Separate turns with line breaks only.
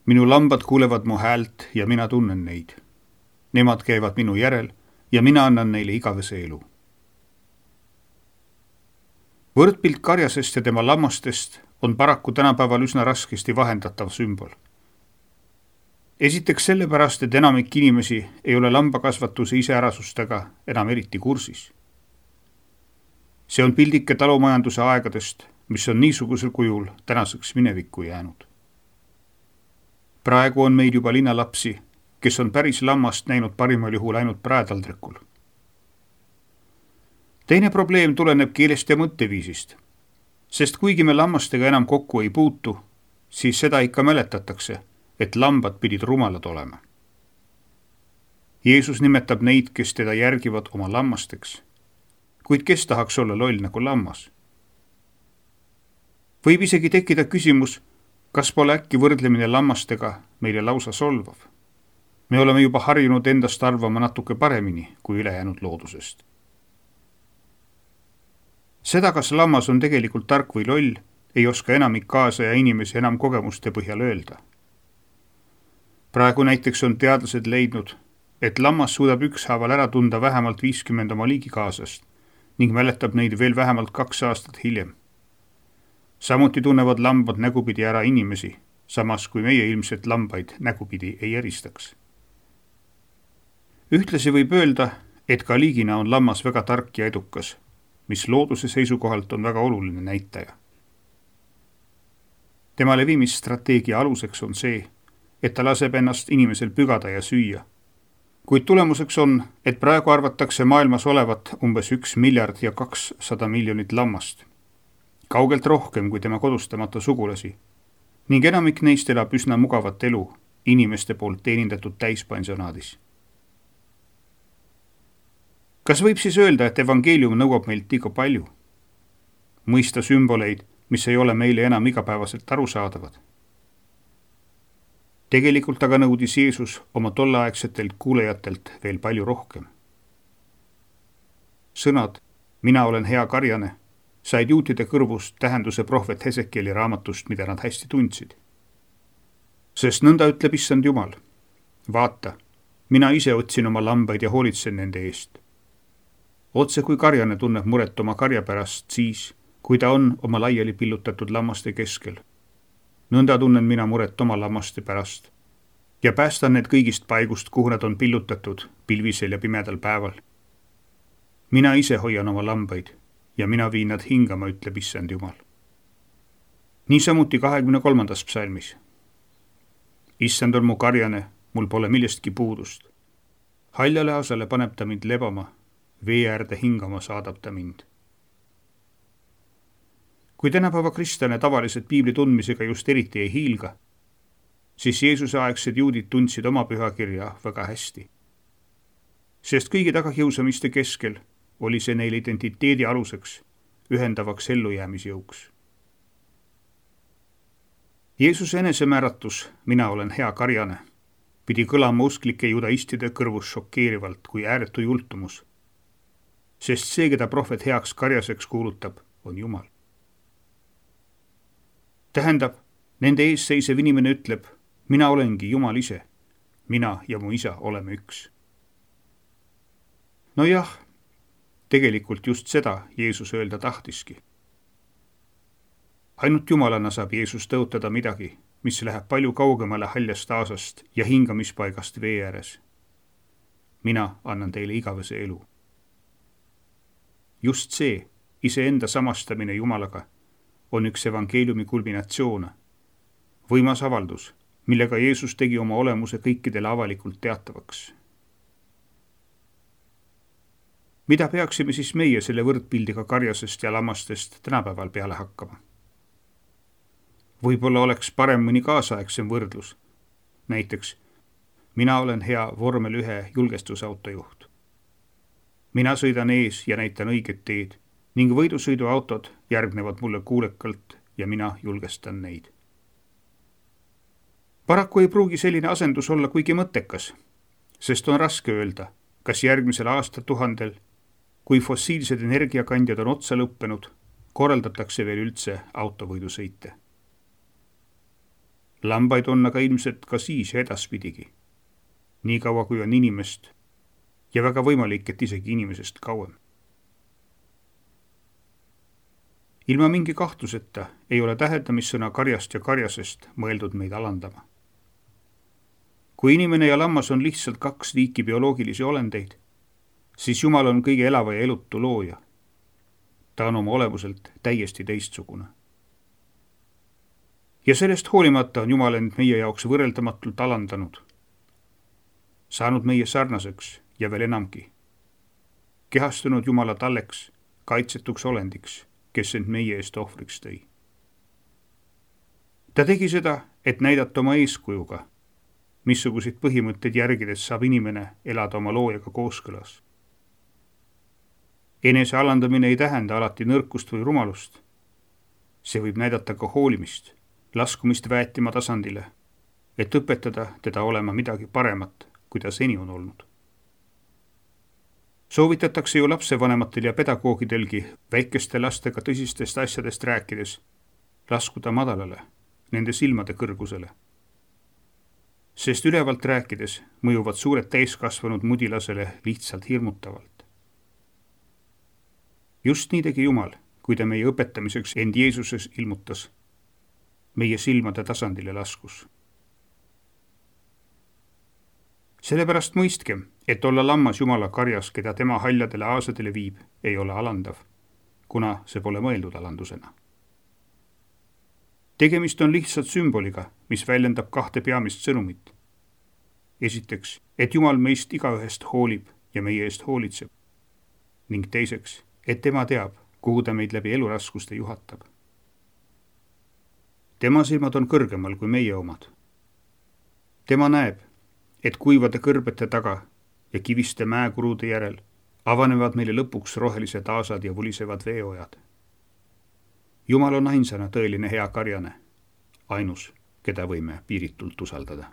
Minu lambad kuulevad mu häält ja mina tunnen neid. Nemad käivad minu järel ja mina annan neile igavese elu. Võrdpilt karjasest ja tema lammastest on paraku tänapäeval üsna raskesti vahendatav sümbol. Esiteks sellepärast, et enamik inimesi ei ole lambakasvatuse iseärasustega enam eriti kursis. See on pildike talumajanduse aegadest, mis on niisugusel kujul tänaseks minevikku jäänud. Praegu on meid juba linnalapsi, kes on päris lammast näinud parimal juhul ainult praetaldrikul. Teine probleem tuleneb keelest ja mõtteviisist, sest kuigi me lammastega enam kokku ei puutu, siis seda ikka mäletatakse, et lambad pidid rumalad olema. Jeesus nimetab neid, kes teda järgivad oma lammasteks, kuid kes tahaks olla loll nagu lammas? Võib isegi tekkida küsimus, kas pole äkki võrdlemine lammastega meile lausa solvav? Me oleme juba harjunud endast arvama natuke paremini kui ülejäänud loodusest. Seda, kas lammas on tegelikult tark või loll, ei oska enamik kaasaja inimesi enam kogemuste põhjal öelda. Praegu näiteks on teadlased leidnud, et lammas suudab ükshaaval ära tunda vähemalt 50 oma liigikaasast ning mäletab neid veel vähemalt 2 aastat hiljem. Samuti tunnevad lambad nägupidi ära inimesi, samas kui meie ilmselt lambaid nägupidi ei eristaks. Ühtlasi võib öelda, et ka liigina on lammas väga tark ja edukas, mis looduse seisukohalt on väga oluline näitaja. Tema levimisstrateegia aluseks on see, et ta laseb ennast inimesel pügada ja süüa. Kuid tulemuseks on, et praegu arvatakse maailmas olevat umbes 1 miljard ja 200 miljonit lammast. Kaugelt rohkem kui tema kodustamata sugulasi, ning enamik neist elab üsna mugavat elu inimeste poolt teenindatud täispensionaadis. Kas võib siis öelda, et evangeelium nõuab meilt liiga palju? Mõista sümboleid, mis ei ole meile enam igapäevaselt arusaadavad. Tegelikult aga nõudis Jeesus oma tolleaegsetelt kuulejatelt veel palju rohkem. Sõnad, mina olen hea karjane, said juutide kõrvust tähenduse prohvet Hesekieli raamatust, mida nad hästi tundsid. Sest nõnda ütleb issand Jumal. Vaata, mina ise otsin oma lambaid ja hoolitsen nende eest. Otse kui karjane tunneb muret oma karja pärast siis, kui ta on oma laiali pillutatud lammaste keskel. Nõnda tunnen mina muret oma lammaste pärast ja päästan need kõigist paigust, kuhu nad on pillutatud pilvisel ja pimedal päeval. Mina ise hoian oma lambaid ja mina viin nad hingama, ütleb issand Jumal. Niisamuti 23. psalmis. Issand on mu karjane, mul pole millestki puudust. Haljale asale paneb ta mind lebama, vee äärde hingama saadab ta mind. Kui tänapäeva kristlane tavaliselt piibli tundmisega just eriti ei hiilga, siis Jeesuse aegsed juudid tundsid oma pühakirja väga hästi. Sest kõigi tagakiusamiste keskel oli see neile identiteedi aluseks, ühendavaks ellujäämisjõuks. Jeesuse enesemääratus, mina olen hea karjane, pidi kõlama usklike judaistide kõrvus šokeerivalt kui ääretu jultumus, sest see, keda prohvet heaks karjaseks kuulutab, on Jumal. Tähendab, nende ees seisev inimene ütleb, mina olengi Jumal ise, mina ja mu isa oleme üks. No jah, tegelikult just seda Jeesus öelda tahtiski. Ainult Jumalana saab Jeesus tõotada midagi, mis läheb palju kaugemale haljast aasast ja hingamispaigast vee ääres. Mina annan teile igavese elu. Just see, iseenda samastamine Jumalaga, on üks evangeeliumi kulminatsioone, võimas avaldus, millega Jeesus tegi oma olemuse kõikidele avalikult teatavaks. Mida peaksime siis meie selle võrdpildiga karjasest ja lammastest tänapäeval peale hakkama? Võib-olla oleks parem mõni kaasaegsem võrdlus. Näiteks, mina olen hea vormel 1 julgestusautojuht. Mina sõidan ees ja näitan õiget teed ning võidusõiduautod järgnevad mulle kuulekalt ja mina julgestan neid. Paraku ei pruugi selline asendus olla kuigi mõttekas, sest on raske öelda, kas järgmisel aastatuhandel, kui fossiilsed energiakandjad on otsa lõppenud, korraldatakse veel üldse autovõidusõite. Lambaid on aga ilmselt ka siis ja edaspidigi. Nii kaua kui on inimest ja väga võimalik, et isegi inimesest kauem. Ilma mingi kahtluseta ei ole täheldamissõna karjast ja karjasest mõeldud meid alandama. Kui inimene ja lammas on lihtsalt kaks liiki bioloogilisi olendeid, siis Jumal on kõige elava ja elutu looja. Ta on oma olemuselt täiesti teistsugune. Ja sellest hoolimata on Jumal end meie jaoks võrreldamatult alandanud, saanud meie sarnaseks ja veel enamgi, kehastunud Jumala talleks, kaitsetuks olendiks, kes end meie eest ohvriks tõi. Ta tegi seda, et näidata oma eeskujuga, missuguseid põhimõtteid järgides saab inimene elada oma loojaga kooskõlas. Enese alandamine ei tähenda alati nõrkust või rumalust. See võib näidata ka hoolimist, laskumist väetima tasandile, et õpetada teda olema midagi paremat, kui ta seni on olnud. Soovitatakse ju lapsevanematel ja pedagoogidelgi väikeste lastega tõsistest asjadest rääkides laskuda madalale, nende silmade kõrgusele. Sest ülevalt rääkides mõjuvad suured täiskasvanud mudilasele lihtsalt hirmutavalt. Just nii tegi Jumal, kui ta meie õpetamiseks end Jeesuses ilmutas, meie silmade tasandile laskus. Sellepärast mõistkem, et olla lammas Jumala karjas, keda tema haljadele aasadele viib, ei ole alandav, kuna see pole mõeldud alandusena. Tegemist on lihtsalt sümboliga, mis väljendab kahte peamist sõnumit. Esiteks, et Jumal meist igaühest hoolib ja meie eest hoolitseb. Ning teiseks, et tema teab, kuhu ta meid läbi eluraskuste juhatab. Tema silmad on kõrgemal kui meie omad. Tema näeb, et kuivade kõrbete taga ja kiviste mäekurude järel avanevad meile lõpuks rohelised aasad ja vulisevad veeojad. Jumal on ainsana tõeline hea karjane, ainus, keda võime piiritult usaldada.